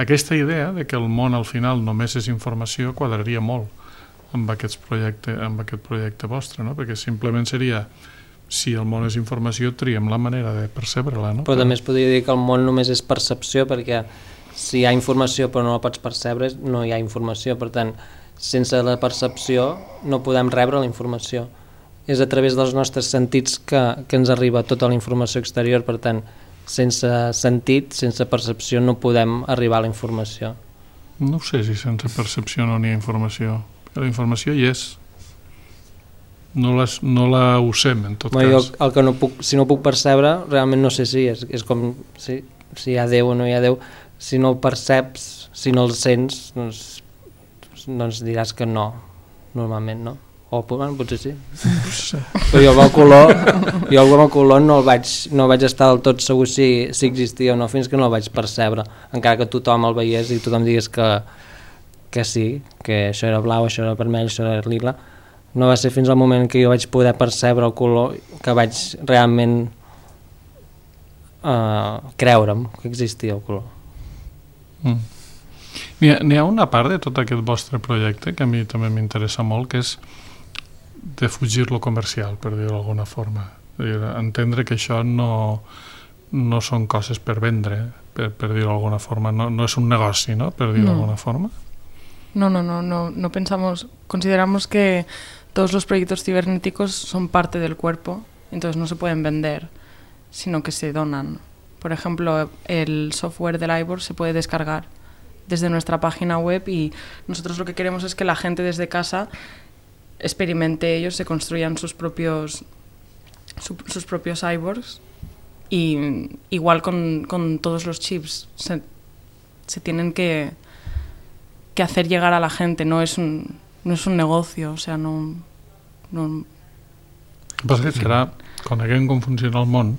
Aquesta idea de que el món al final només és informació quadraria molt amb aquest projecte, amb aquest projecte vostre, no? Perquè simplement seria, si el món és informació, triem la manera de percebre-la, no? Però també es podria dir que el món només és percepció, perquè si hi ha informació però no la pots percebre, no hi ha informació. Per tant, sense la percepció no podem rebre la informació. És a través dels nostres sentits que, que ens arriba tota la informació exterior. Per tant, sense sentit, sense percepció, no podem arribar a la informació. No sé si sense percepció no n'hi ha informació. La informació hi és. No, les, no la usem, en tot bueno, cas. Jo, el que no puc, si no puc percebre, realment no sé si és, és com si, si hi ha Déu o no hi ha Déu. Si no el perceps, si no el sents, doncs, doncs diràs que no, normalment no. O bueno, potser sí. Sí. Però jo amb el color, jo amb el color no el vaig, no vaig estar del tot segur si, si existia o no, fins que no el vaig percebre. Encara que tothom el veiés i tothom digués que, que sí, que això era blau, això era vermell, això era lila. No va ser fins al moment que jo vaig poder percebre el color que vaig realment uh, creure'm que existia el color. Mm. N'hi ha, n'hi ha una part de tot aquest vostre projecte que a mi també m'interessa molt, que és de fugir lo comercial, per dir-ho d'alguna forma. Dir, entendre que això no, no són coses per vendre, per, per dir-ho d'alguna forma, no, no és un negoci, ¿no? Per dir-ho d'alguna no. forma. No, no, no, no, no pensamos, consideramos que todos los proyectos cibernéticos son parte del cuerpo, entonces no se pueden vender, sino que se donan. Por ejemplo, el software del iBoard se puede descargar desde nuestra página web y nosotros lo que queremos es que la gente desde casa experimente ellos, se construyan sus propios su, sus propios iBoards y igual con, con todos los chips se, se tienen que, que hacer llegar a la gente, no es un, no es un negocio, o sea, no... no... Passa que serà, coneguem com funciona el món,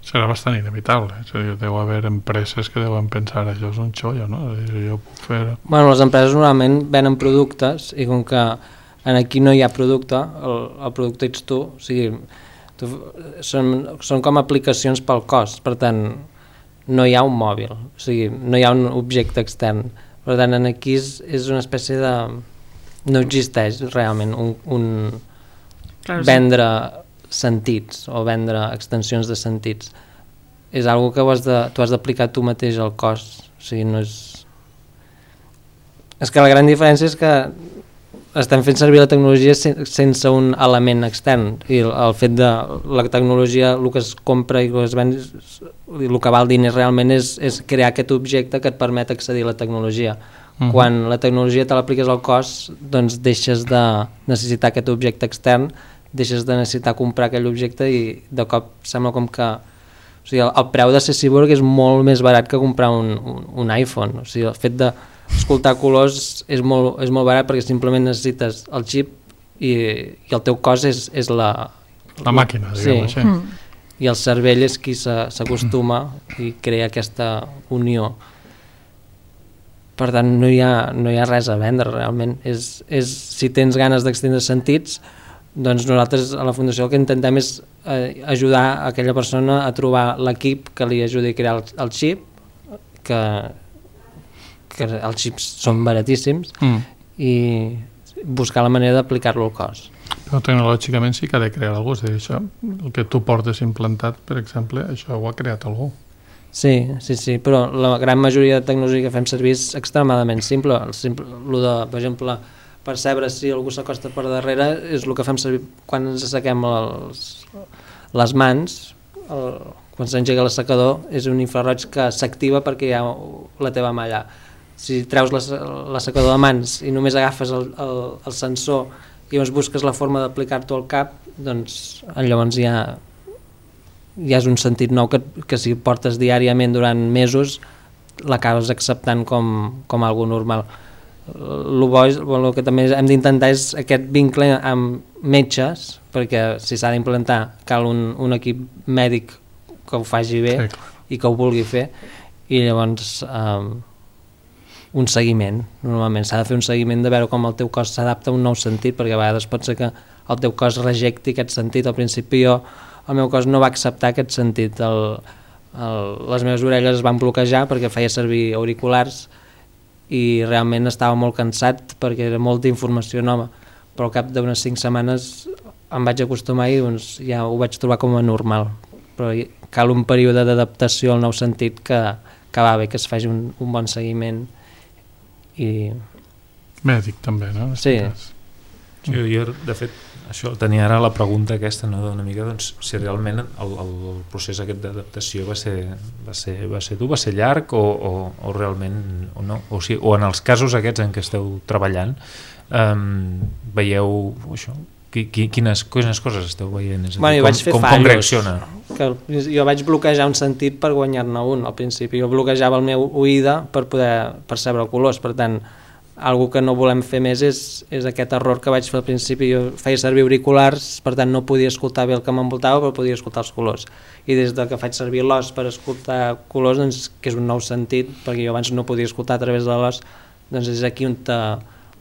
serà bastant inevitable. És a dir, deu haver empreses que deuen pensar això és un xollo, no? És a dir, jo puc fer... Bueno, les empreses normalment venen productes i com que en aquí no hi ha producte, el, el producte ets tu, o sigui, tu, són, són com aplicacions pel cos, per tant, no hi ha un mòbil, o sigui, no hi ha un objecte extern. Per tant, en aquí és, és una espècie de... no existeix realment un, un claro, vendre sí. sentits o vendre extensions de sentits. És algo que ho has de, tu has d'aplicar tu mateix al cos, o sigui, no és... És que la gran diferència és que estem fent servir la tecnologia sense un element extern i el fet de la tecnologia, el que es compra i el que es ven, el que val diners realment és, és crear aquest objecte que et permet accedir a la tecnologia. Uh-huh. Quan la tecnologia te l'apliques al cos, doncs deixes de necessitar aquest objecte extern, deixes de necessitar comprar aquell objecte i de cop sembla com que o sigui, el, el preu de ser cyborg és molt més barat que comprar un, un, un iPhone. O sigui, el fet de escoltar colors és molt, és molt barat perquè simplement necessites el xip i, i el teu cos és, és la... La màquina, diguem-ho sí. així. Mm. I el cervell és qui s'acostuma i crea aquesta unió. per tant no hi ha, no hi ha res a vendre realment. És, és, si tens ganes d'extendre sentits, doncs nosaltres a la Fundació el que intentem és eh, ajudar aquella persona a trobar l'equip que li ajudi a crear el, el xip, que, que els xips són baratíssims, mm. i buscar la manera d'aplicar-lo al cos. Però tecnològicament sí que ha de crear alguna cosa. Això, el que tu portes implantat, per exemple, això ho ha creat algú. Sí, sí, sí, però la gran majoria de tecnologia que fem servir és extremadament simple. El simple el de, per exemple, percebre si algú s'acosta per darrere és el que fem servir quan ens assequem els, les mans, el, quan s'engega l'assecador és un infraroig que s'activa perquè hi ha la teva mà allà. Si treus l'assecador de mans i només agafes el, el, el sensor i llavors busques la forma d'aplicar-t'ho al cap, doncs llavors ja, ja és un sentit nou que, que si portes diàriament durant mesos l'acabes acceptant com, com algo normal. El bo és, el que també hem d'intentar és aquest vincle amb metges, perquè si s'ha d'implantar cal un, un equip mèdic que ho faci bé, sí, i que ho vulgui fer, i llavors um, un seguiment. Normalment s'ha de fer un seguiment de veure com el teu cos s'adapta a un nou sentit, perquè a vegades pot ser que el teu cos rejecti aquest sentit. Al principi jo, el meu cos no va acceptar aquest sentit, el, el, les meves orelles es van bloquejar perquè feia servir auriculars i realment estava molt cansat perquè era molta informació nova, però al cap d'unes cinc setmanes em vaig acostumar i doncs, ja ho vaig trobar com a normal, però cal un període d'adaptació al nou sentit que, que va bé, que es faci un, un bon seguiment i... mèdic també, no? Sí. Sí, jo, de fet, això tenia ara la pregunta aquesta, no, d'una mica, doncs, si realment el, el procés aquest d'adaptació va ser, va ser, va ser dur, va ser llarg o, o, o realment o no, o, si, o en els casos aquests en què esteu treballant um, veieu això, qui, qui, quines, quines coses esteu veient? És a dir, bueno, jo vaig fer com, fallos, com reacciona? Que jo vaig bloquejar un sentit per guanyar-ne un al principi, jo bloquejava el meu oïda per poder percebre colors, per tant algo que no volem fer més és, és aquest error que vaig fer al principi. Jo feia servir auriculars, per tant no podia escoltar bé el que m'envoltava, però podia escoltar els colors. I des de que faig servir l'os per escoltar colors, doncs, que és un nou sentit, perquè jo abans no podia escoltar a través de l'os, doncs és aquí on te,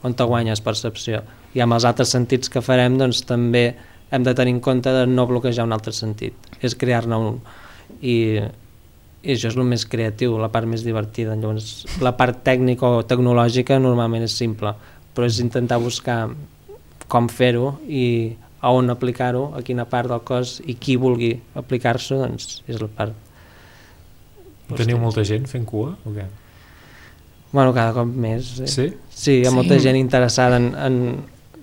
on te guanyes percepció. I amb els altres sentits que farem, doncs també hem de tenir en compte de no bloquejar un altre sentit, és crear-ne un. I... i això és el més creatiu, la part més divertida. Llavors, la part tècnica o tecnològica normalment és simple, però és intentar buscar com fer-ho i a on aplicar-ho, a quina part del cos, i qui vulgui aplicar-s'ho, doncs és la part. Teniu molta gent fent cua o què? Bueno, cada cop més. Eh? Sí? Sí, hi ha sí. molta gent interessada en... en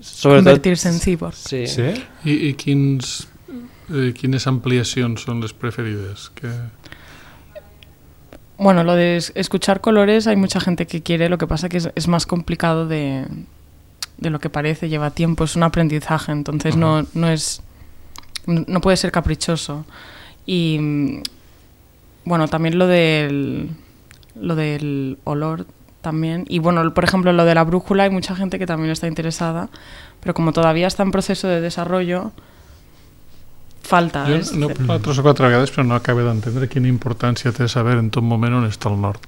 sobretot, convertir-se en cíborg. Sí. Sí? I, i quins, eh, quines ampliacions són les preferides? Que... Bueno, lo de escuchar colores hay mucha gente que quiere, lo que pasa que es, es más complicado de, de lo que parece, lleva tiempo, es un aprendizaje, entonces uh-huh. no, no es no puede ser caprichoso. Y bueno, también lo del lo del olor también, y bueno, por ejemplo, lo de la brújula, hay mucha gente que también está interesada, pero como todavía está en proceso de desarrollo, falta. Jo no he parlat tres o quatre vegades, però no acabo d'entendre quina importància té saber en tot moment on està el nord.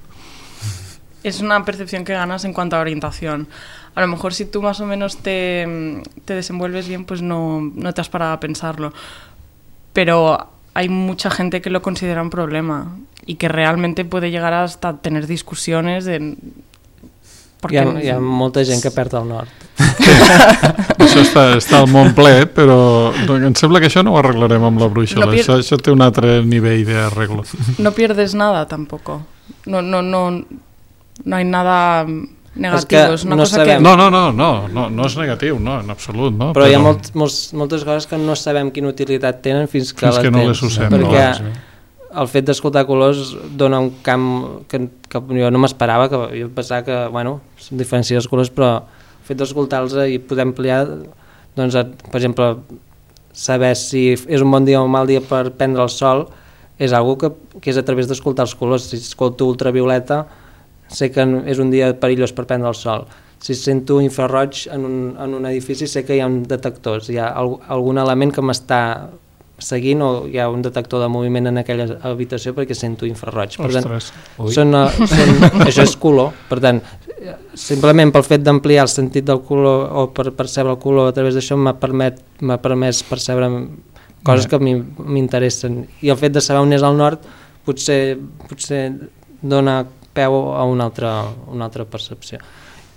Es una percepción que ganas en cuanto a orientación. A lo mejor si tú más o menos te, te desenvuelves bien, pues no, no te has parado a pensarlo. Pero hay mucha gente que lo considera un problema y que realmente puede llegar hasta tener discusiones de... Hi ha, hi ha molta gent que perd el nord. Això està, està al món ple, però em sembla que això no ho arreglarem amb la brúixola. No pier... això, això té un altre nivell d'arreglo. No pierdes nada tampoco. No, no, no, no hay nada negativo. Es, que es una no, cosa sabem... que... no, no, no, no, no, no és negatiu, no, en absolut. No, però, però hi ha molt, molts, moltes coses que no sabem quina utilitat tenen fins que, fins que no les usem. Perquè no, el fet d'escoltar colors dona un camp que, que jo no m'esperava, que jo pensava que, bueno, diferenciar els colors, però el fet d'escoltar-los i poder ampliar, doncs, per exemple, saber si és un bon dia o un mal dia per prendre el sol és algo que, que és a través d'escoltar els colors. Si escolto ultravioleta, sé que és un dia perillós per prendre el sol. Si sento infraroig en un, en un edifici, sé que hi ha un detectors, hi ha algun element que m'està seguint o hi ha un detector de moviment en aquella habitació perquè sento infraroig. Per tant, són, són, això és color. Per tant, simplement pel fet d'ampliar el sentit del color o per percebre el color a través d'això m'ha permet, m'ha permès percebre coses que a mi m'interessen, i el fet de saber on és el nord potser, potser dona peu a una altra, una altra percepció.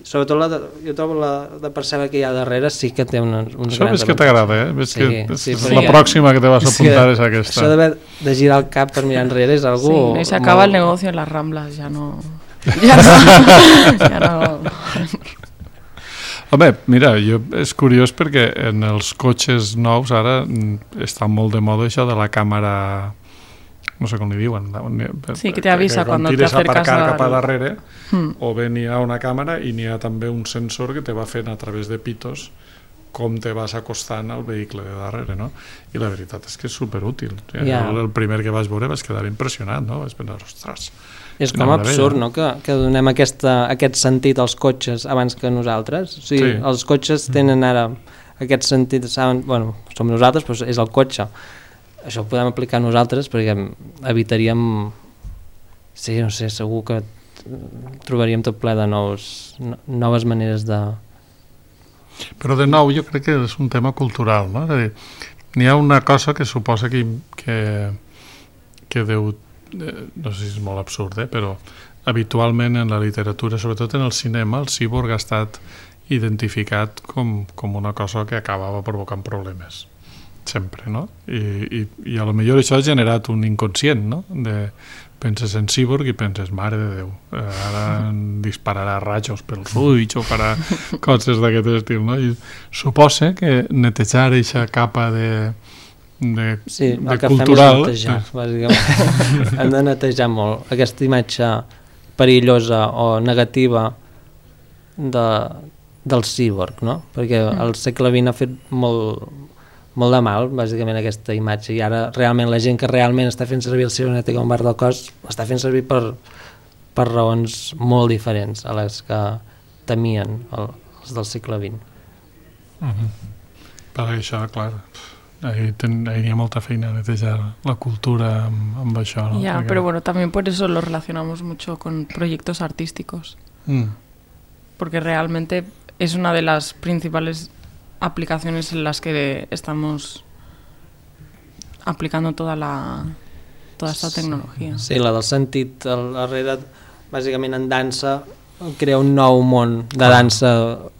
Sobretot la de, jo trobo la de percebre que hi ha darrere sí que té una, uns això grans... Això ves que t'agrada, eh? Ves sí, que sí, la sí, pròxima que te vas a apuntar és aquesta. Això d'haver de girar el cap per mirar enrere és algú... Sí, i s'acaba molt... el negoci en les Ramblas, ja no... Ja no... ja no... Home, mira, jo, és curiós perquè en els cotxes nous ara està molt de moda això de la càmera... no sé com li diuen, sí, que t'avisa quan te acercas a aparcar cap a darrere, mm. o bé n'hi ha una càmera i n'hi ha també un sensor que te va fent a través de pitos com te vas acostant al vehicle de darrere, no? I la veritat és que és superútil. Yeah. El, el primer que vaig veure vaig quedar impressionat, no? Vaig pensar, ostres... És com absurd, no?, que, que donem aquesta, aquest sentit als cotxes abans que nosaltres. O sigui, sí. Els cotxes tenen ara aquest sentit, saben, bueno, som nosaltres, però és el cotxe. Això ho podem aplicar nosaltres perquè evitaríem, sí, no sé, segur que trobaríem tot ple de nous, noves maneres de... Però de nou jo crec que és un tema cultural, no? És a dir, n'hi ha una cosa que suposa que, que, que deu, no sé si és molt absurd, eh? Però habitualment en la literatura, sobretot en el cinema, el cíborg ha estat identificat com, com una cosa que acabava provocant problemes. Sempre, no? I, i, i a lo millor això ha generat un inconscient, no? De, penses en cíborg i penses, mare de Déu, eh, ara dispararà rajos pels ulls o farà coses d'aquest estil, no? I suposa que netejar aquesta capa de, de, sí, de el que cultural... fem és netejar, bàsicament. Hem de netejar molt aquesta imatge perillosa o negativa de, del cíborg, no? Perquè el segle vint ha fet molt... molt de mal, bàsicament, aquesta imatge, i ara realment la gent que realment està fent servir el cibernètic com part del cos està fent servir per, per raons molt diferents a les que temien el, els del segle vint. Uh-huh. Per això, clar, ahí, ten, ahí hi ha molta feina a netejar la cultura amb, amb això, ¿no? Ya, Porque... pero bueno, también por eso lo relacionamos mucho con proyectos artísticos, mm. porque realmente es una de las principales aplicaciones en las que estamos aplicando toda la toda esta tecnologia. Sí, la del sentit al darrere, bàsicament en dansa crea un nou món de dansa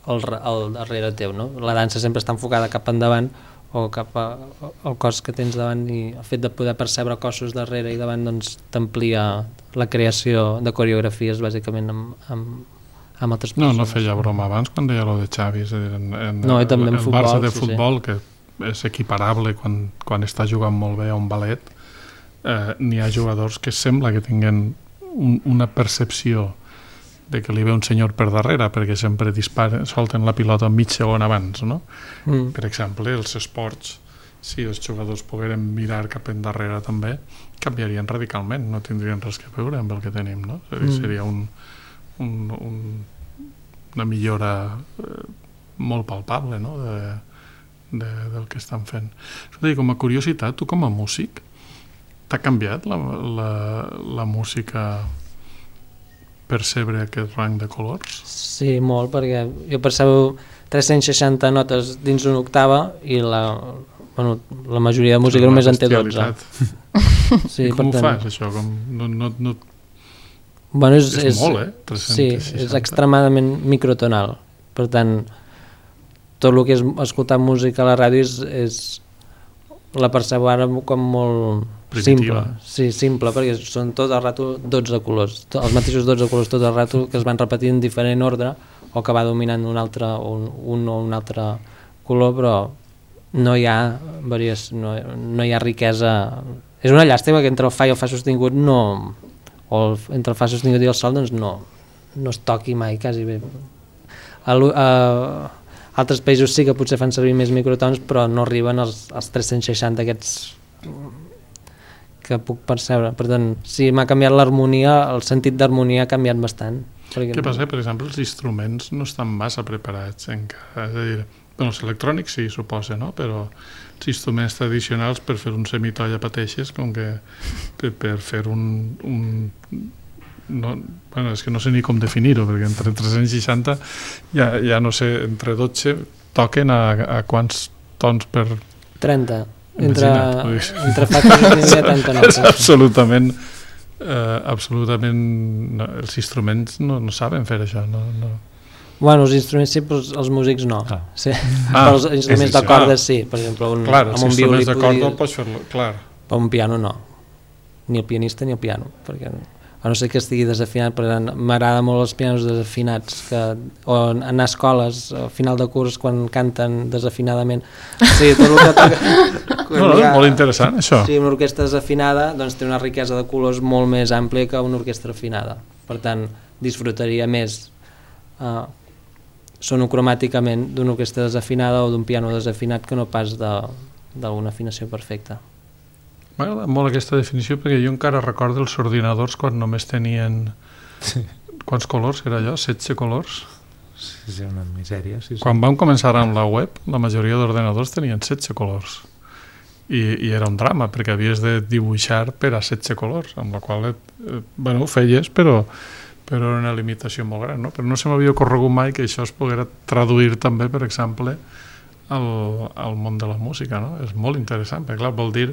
al, al darrere teu, no? La dansa sempre està enfocada cap endavant o cap a, al cos que tens davant, i el fet de poder percebre cossos darrere i davant doncs t'amplia la creació de coreografies bàsicament amb, amb amb altres persones. No, no feia broma abans quan deia lo de Xavi, és a dir, en, en, no, i també en el futbol, Barça de sí, futbol, sí. Que és equiparable quan, quan està jugant molt bé a un ballet, eh, n'hi ha jugadors que sembla que tinguen un, una percepció de que li ve un senyor per darrere, perquè sempre disparen, solten la pilota mig segon abans, no? Mm. Per exemple, els esports, si els jugadors pogueren mirar cap endarrere també, canviarien radicalment, no tindrien res que veure amb el que tenim, no? És a dir, mm. seria un Un, un, una millora eh, molt palpable, no? de, de, del que estan fent. Dir, com a curiositat, tu com a músic t'ha canviat la, la, la música percebre aquest rang de colors? Sí, molt, perquè jo percebo tres-cents seixanta notes dins una octava i la, bueno, la majoria de música sí, només en té dotze. Sí, com ho tant... fas, això? Com, no, no, no... Bueno, és, és, és molt, eh? tres-cents seixanta. Sí, és extremadament microtonal. Per tant, tot el que és escoltar música a la ràdio és, és la percebo ara com molt primitiva. Simple. Sí, simple, perquè són tot el rato dotze colors, els mateixos dotze colors tot el rato que es van repetir en diferent ordre o que va dominant un altre un, un o un altre color, però no hi ha variació, no, no hi ha riquesa. És una llàstima que entre el fa i el fa sostingut no, o el, entre el fa sostingut i el sol doncs no, no es toqui mai, quasi bé. A, a altres països sí que potser fan servir més microtons, però no arriben als, als tres-cents seixanta aquests que puc percebre. Per tant, sí, m'ha canviat l'harmonia, el sentit d'harmonia ha canviat bastant. Perquè... Què passa? Per exemple, els instruments no estan massa preparats encara. És a dir, bueno, els electrònics sí, suposa, no? Però els instruments tradicionals per fer un semitoll a pateixes, com que per, per fer un, un, no, bueno, és que no sé ni com definir-ho, perquè entre tres-cents seixanta ja, ja no sé, entre dotze toquen a, a quants tons per... trenta. Entre, Imagina't, entre factors i trenta. És absolutament... Eh, absolutament... No, els instruments no, no saben fer això, no... no. Bueno, els instruments sí, però els músics no. Ah. Sí. Ah, però els instruments de cordes sí. Per exemple, un, clar, amb un violí... Clar, els instruments de corda pots fer-lo, clar. Però un piano no. Ni el pianista ni el piano, perquè a no ser que estigui desafinat, perquè m'agrada molt els pianos desafinats, que, o anar a escoles al final de curs quan canten desafinadament. Sí, tot el que toca... No, no, és molt interessant, això. Sí, una orquestra desafinada doncs, té una riquesa de colors molt més àmplia que una orquestra afinada. Per tant, disfrutaria més uh, sonocromàticament d'una orquestra desafinada o d'un piano desafinat que no pas d'una afinació perfecta. M'agrada molt aquesta definició perquè jo encara recordo els ordinadors quan només tenien... Sí. Quants colors era allò? setze colors? Sí, sí, una misèria. Sí, sí. Quan vam començar amb la web, la majoria d'ordinadors tenien setze colors. I, i era un drama, perquè havies de dibuixar per a setze colors, amb la qual eh, bueno, ho feies, però, però era una limitació molt gran, no? Però no se m'havia ocorregut mai que això es poguera traduir també, per exemple, al, al món de la música, no? És molt interessant, perquè clar, vol dir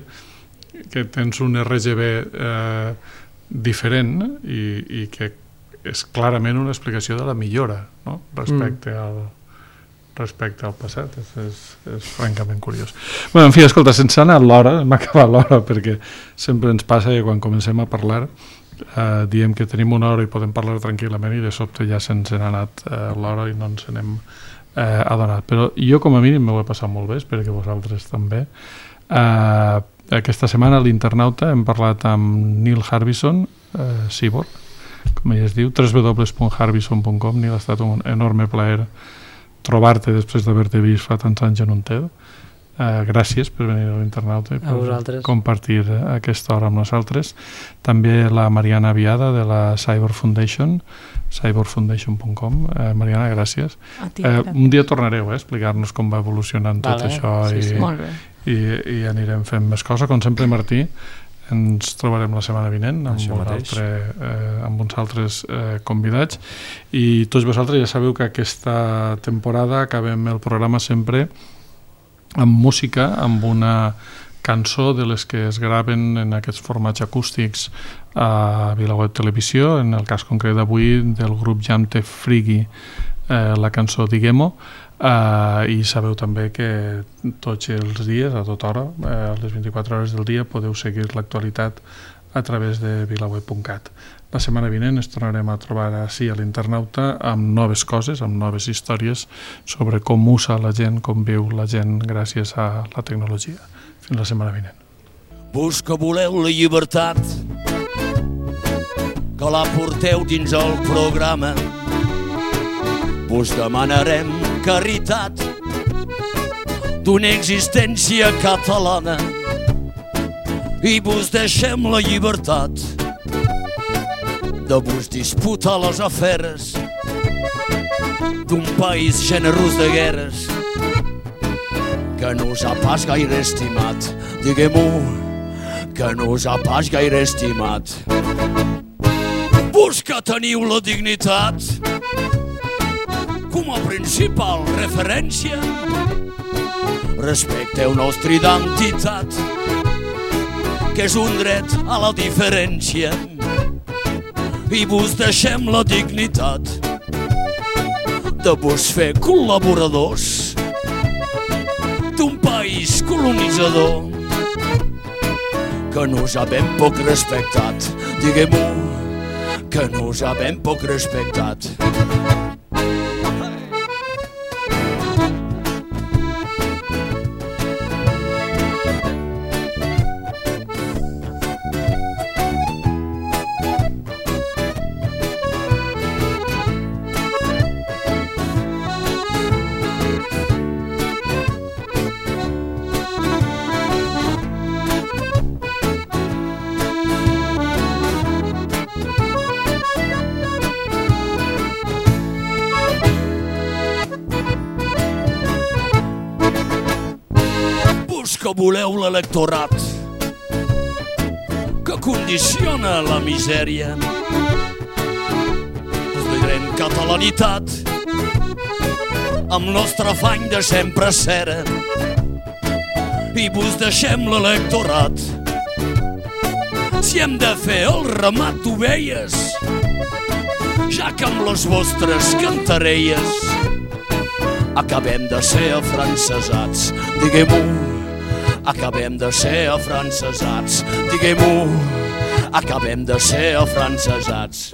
que tens un R G B eh, diferent i, i que és clarament una explicació de la millora, no? Respecte mm. al respecte al passat, és, és, és francament curiós. Bueno, en fi, escolta, sense anar a l'hora, hem acabat l'hora perquè sempre ens passa que quan comencem a parlar eh, diem que tenim una hora i podem parlar tranquil·lament i de sobte ja se'ns n'ha anat eh, l'hora i no ens n'hem eh, adonat. Però jo com a mínim m'ho he passat molt bé, espero que vosaltres també. Eh, aquesta setmana a l'Internauta hem parlat amb Neil Harbison, eh, Cyborg, com ell es diu, w w w punt harbison punt com. Neil, ha estat un enorme plaer trobar-te després d'haver-te vist fa tants anys en un TED. Uh, gràcies per venir a l'Internauta i per compartir aquesta hora amb nosaltres. També la Mariana Viada de la Cyborg Foundation, cyborg foundation punt com. Uh, Mariana, gràcies. A ti, uh, un dia tornareu a eh, explicar-nos com va evolucionant tot vale, això sí, sí. I, i, i anirem fent més coses. Com sempre, Martí, ens trobarem la setmana vinent amb, un altre, eh, amb uns altres eh, convidats i tots vosaltres ja sabeu que aquesta temporada acabem el programa sempre amb música, amb una cançó de les que es graven en aquests formats acústics a VilaWeb Televisió, en el cas concret d'avui del grup Jamte Frigi, eh, la cançó Diguem-ho. Uh, i sabeu també que tots els dies, a tota hora, uh, a les vint-i-quatre hores del dia, podeu seguir l'actualitat a través de vilaweb punt cat. La setmana vinent ens tornarem a trobar així a l'Internauta amb noves coses, amb noves històries sobre com usa la gent, com viu la gent gràcies a la tecnologia. Fins la setmana vinent. Vos que voleu la llibertat, que la porteu dins el programa, vos demanarem caritat d'una existència catalana i vos deixem la llibertat de vos disputar les aferes d'un país generós de guerres que no us ha pas gaire estimat. Diguem-ho, que no us ha pas gaire estimat. Vos que teniu la dignitat com a principal referència, respecteu nostra identitat, que és un dret a la diferència, i vos deixem la dignitat de vos fer col·laboradors d'un país colonitzador que nos ha ben poc respectat. Diguem-ho, que nos ha ben poc respectat. Que voleu l'electorat que condiciona la misèria solidaritat, amb nostre afany de sempre cera, i vos deixem l'electorat. Si hem de fer el ramat d'ovelles, ja que amb les vostres cantarelles acabem de ser afrancesats, diguem-ho, acabem de ser afrancesats, diguem-ho, acabem de ser afrancesats.